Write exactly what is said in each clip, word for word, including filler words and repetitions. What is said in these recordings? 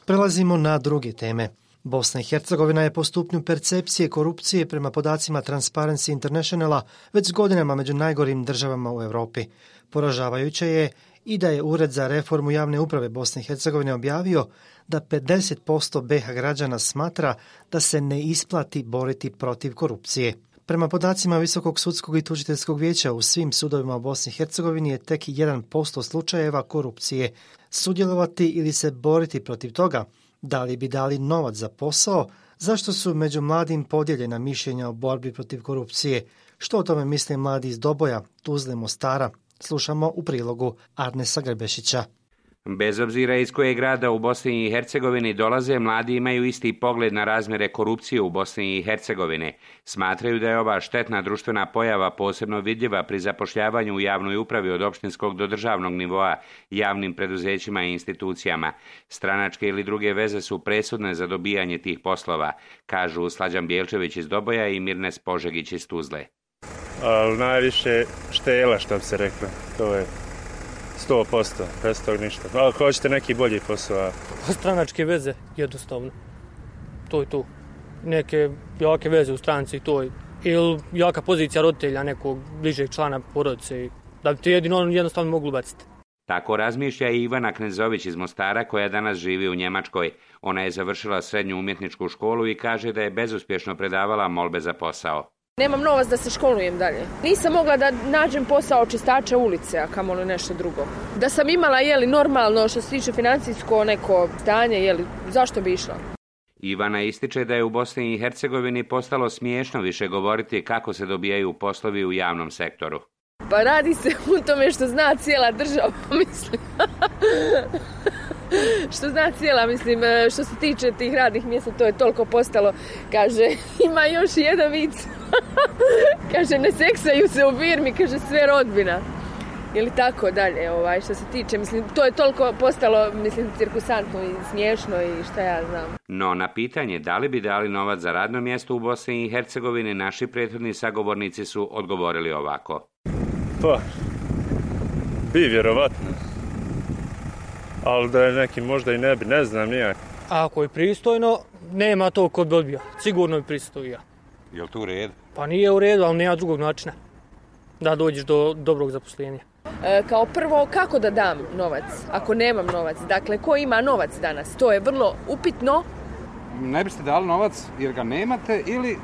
Prelazimo na druge teme. Bosna i Hercegovina je po stupnju percepcije korupcije prema podacima Transparency Internationala već godinama među najgorim državama u Europi. Poražavajuće je i da je Ured za reformu javne uprave Bosne i Hercegovine objavio da pedeset posto be ha građana smatra da se ne isplati boriti protiv korupcije. Prema podacima Visokog sudskog i tužiteljskog vijeća u svim sudovima u Bosni i Hercegovini je tek jedan posto slučajeva korupcije. Sudjelovati ili se boriti protiv toga, da li bi dali novac za posao, zašto su među mladim podijeljena mišljenja o borbi protiv korupcije, što o tome misle mladi iz Doboja, Tuzle, Mostara, slušamo u prilogu Arnesa Grbešića. Bez obzira iz kojeg grada u Bosni i Hercegovini dolaze, mladi imaju isti pogled na razmjere korupcije u Bosni i Hercegovini. Smatraju da je ova štetna društvena pojava posebno vidljiva pri zapošljavanju u javnoj upravi od opštinskog do državnog nivoa, javnim preduzećima i institucijama. Stranačke ili druge veze su presudne za dobijanje tih poslova, kažu Slađan Bjelčević iz Doboja i Mirnes Požegić iz Tuzle. Ali najviše štela, što bi se reklo, to je sto posto, bez tog ništa. Ali ako hoćete neki bolji posao. Stranačke veze, jednostavno. To je to. Neke jake veze u stranci, to je. Ili jaka pozicija roditelja nekog bližeg člana porodice. Da bi te jedino jednostavno mogli baciti. Tako razmišlja i Ivana Knezović iz Mostara, koja danas živi u Njemačkoj. Ona je završila srednju umjetničku školu i kaže da je bezuspješno predavala molbe za posao. Nemam novac da se školujem dalje. Nisam mogla da nađem posao čistača ulice, a kamoli nešto drugo. Da sam imala, jeli, normalno što se tiče financijsko neko stanje, jeli, zašto bi išla? Ivana ističe da je u Bosni i Hercegovini postalo smiješno više govoriti kako se dobijaju poslovi u javnom sektoru. Pa radi se u tome što zna cijela država, mislim. Što zna cijela, mislim, što se tiče tih radnih mjesta, to je toliko postalo. Kaže, ima još jedan vic. Kaže, ne seksaju se u firmi, kaže, sve rodbina. Ili tako dalje, ovaj, što se tiče, mislim, to je toliko postalo, mislim, cirkusantno i smiješno i šta ja znam. No, na pitanje da li bi dali novac za radno mjesto u Bosni i Hercegovini, naši prethodni sagovornici su odgovorili ovako. Pa, bi vjerovatno. Ali da je neki možda i ne bi, ne znam nijak. Ako je pristojno, nema to kod bi odbija. Sigurno bi pristojio. Je li to u redu? Pa nije u redu, ali nema drugog načina da dođeš do dobrog zaposlenja. E, kao prvo, kako da dam novac ako nemam novac? Dakle, ko ima novac danas? To je vrlo upitno. Ne biste dali novac jer ga nemate ili...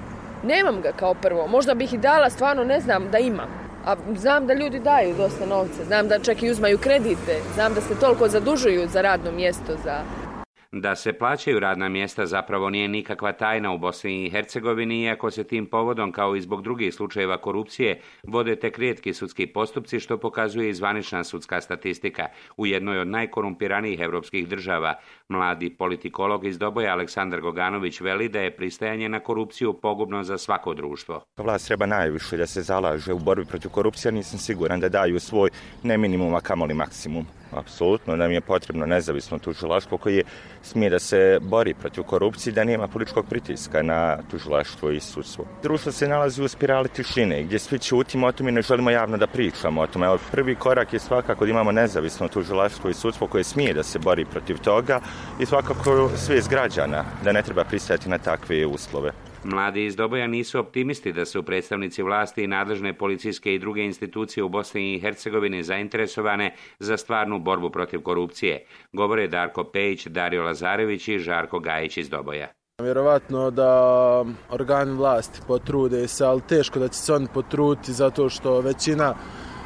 Nemam ga kao prvo. Možda bih i dala, stvarno ne znam da imam. A znam da ljudi daju dosta novca, znam da čak i uzmaju kredite, znam da se toliko zadužuju za radno mjesto, za... Da se plaćaju radna mjesta zapravo nije nikakva tajna u Bosni i Hercegovini, iako se tim povodom, kao i zbog drugih slučajeva korupcije, vode tek rijetki sudski postupci, što pokazuje i zvanična sudska statistika u jednoj od najkorumpiranijih europskih država. Mladi politikolog iz Doboja Aleksandar Goganović veli da je pristajanje na korupciju pogubno za svako društvo. Vlast treba najviše da se zalaže u borbi protiv korupcije, nisam siguran da daju svoj ne minimum, a kamoli maksimum. Apsolutno nam je potrebno nezavisno tužilaštvo koje smije da se bori protiv korupcije, da nema političkog pritiska na tužilaštvo i sudstvo. Društvo se nalazi u spirali tišine gdje svi ćutimo o tome i ne želimo javno da pričamo o tome. Prvi korak je svakako da imamo nezavisno tužilaštvo i sudstvo koje smije da se bori protiv toga i svakako svijest građana da ne treba pristajati na takve uslove. Mladi iz Doboja nisu optimisti da su predstavnici vlasti i nadležne policijske i druge institucije u Bosni i Hercegovini zainteresovane za stvarnu borbu protiv korupcije, govore Darko Pejić, Dario Lazarević i Žarko Gajić iz Doboja. Vjerovatno da organi vlasti potrude se, ali teško da će se oni potruditi zato što većina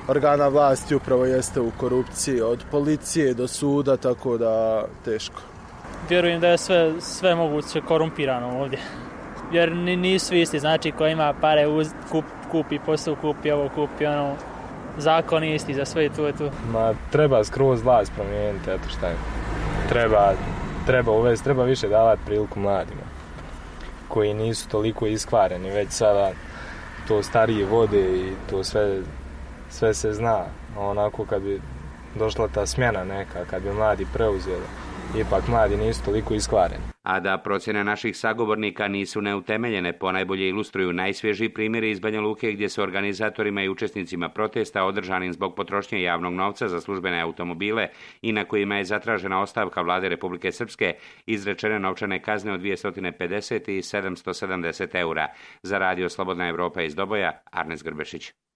organa vlasti upravo jeste u korupciji, od policije do suda, tako da teško. Vjerujem da je sve, sve moguće korumpirano ovdje. Jer nisu isti, znači ko ima pare uz, kup, kupi posao, kupi ovo, kupi ono, zakon je isti za sve i tu je tu. Ma treba skroz vlast promijeniti, eto šta je. Treba, treba uvesti, treba više davati priliku mladima koji nisu toliko iskvareni, već sada to starije vode i to sve, sve se zna. Onako kad bi došla ta smjena neka, kad bi mladi preuzeli ipak mladi nisu toliko iskvareni. A da procjene naših sagovornika nisu neutemeljene, ponajbolje ilustruju najsvježiji primjeri iz Banja Luke gdje se organizatorima i učesnicima protesta održanim zbog potrošnje javnog novca za službene automobile i na kojima je zatražena ostavka vlade Republike Srpske izrečene novčane kazne od dvjesto pedeset i sedamsto sedamdeset eura. Za radio Slobodna Evropa iz Doboja, Arnes Grbešić.